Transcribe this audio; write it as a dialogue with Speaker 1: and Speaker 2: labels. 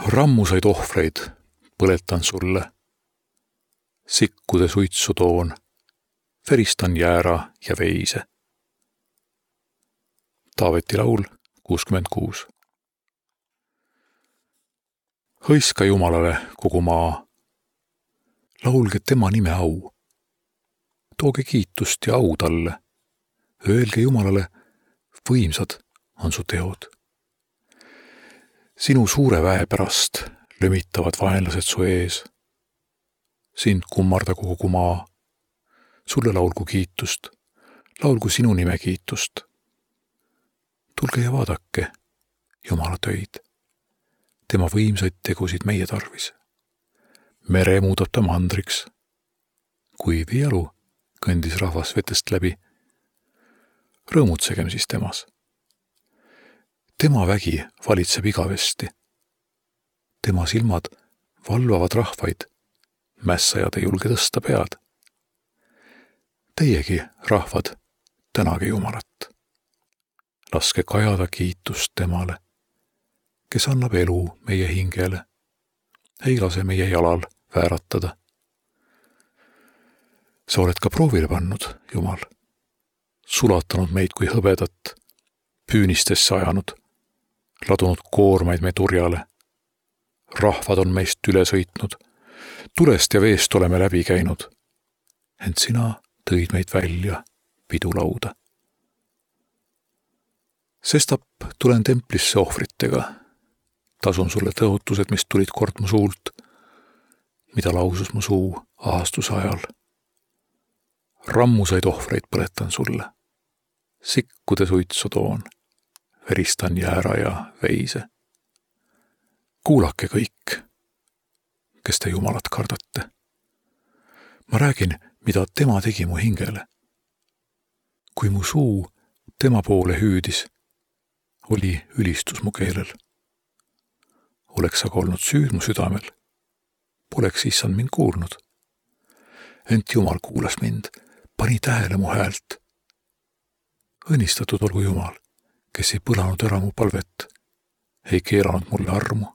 Speaker 1: Rammusaid ohvreid põletan sulle, sikkude suitsu toon, veristan jäära ja veise. Taaveti laul 66. Hõiska Jumalale kogu maa, laulge tema nime au. Tooge kiitust ja au talle, öelge Jumalale, võimsad on su teod. Sinu suure väe pärast lömitavad vaenlased su ees. Sind kummardagu kogu maa, sulle laulgu kiitust, laulgu sinu nime kiitust. Tulge ja vaadake Jumala töid, tema võimsaid tegusid meie tarvis. Mere muudab ta mandriks, kuiv jalu kõndis rahvas vetest läbi. Rõõmutsegem siis temas. Tema vägi valitseb igavesti. Tema silmad valvavad rahvaid, mässajad ei julge tõsta pead. Teiegi, rahvad, tänage Jumalat. Laske kajada kiitust temale, kes annab elu meie hingele, ei lase meie jalal vääratada. Sa oled ka proovile pannud, Jumal, sulatanud meid kui hõbedat, püünistesse ajanud, ladunud koormaid me turjale. Rahvad on meist üle sõitnud, tulest ja veest oleme läbi käinud, ent sina tõid meid välja pidulauda. Sestap tulen templisse ohvritega, tasun sulle tõotused, mis tulid kord mu suult, mida lausus mu suu ahastuse ajal. Rammusaid ohvreid põletan sulle, sikkude suitsu toon, veristan jäära ja veise. Kuulake kõik, kes te Jumalat kardate. Ma räägin, mida tema tegi mu hingele. Kui mu suu tema poole hüüdis, oli ülistus mu keelel. Oleks aga olnud süüd mu südamel, poleks issand mind kuulnud. Ent Jumal kuulas mind, pani tähele mu häält. Õnnistatud olgu Jumal, kes ei põlanud ära mu palvet, ei keeranud mulle armu.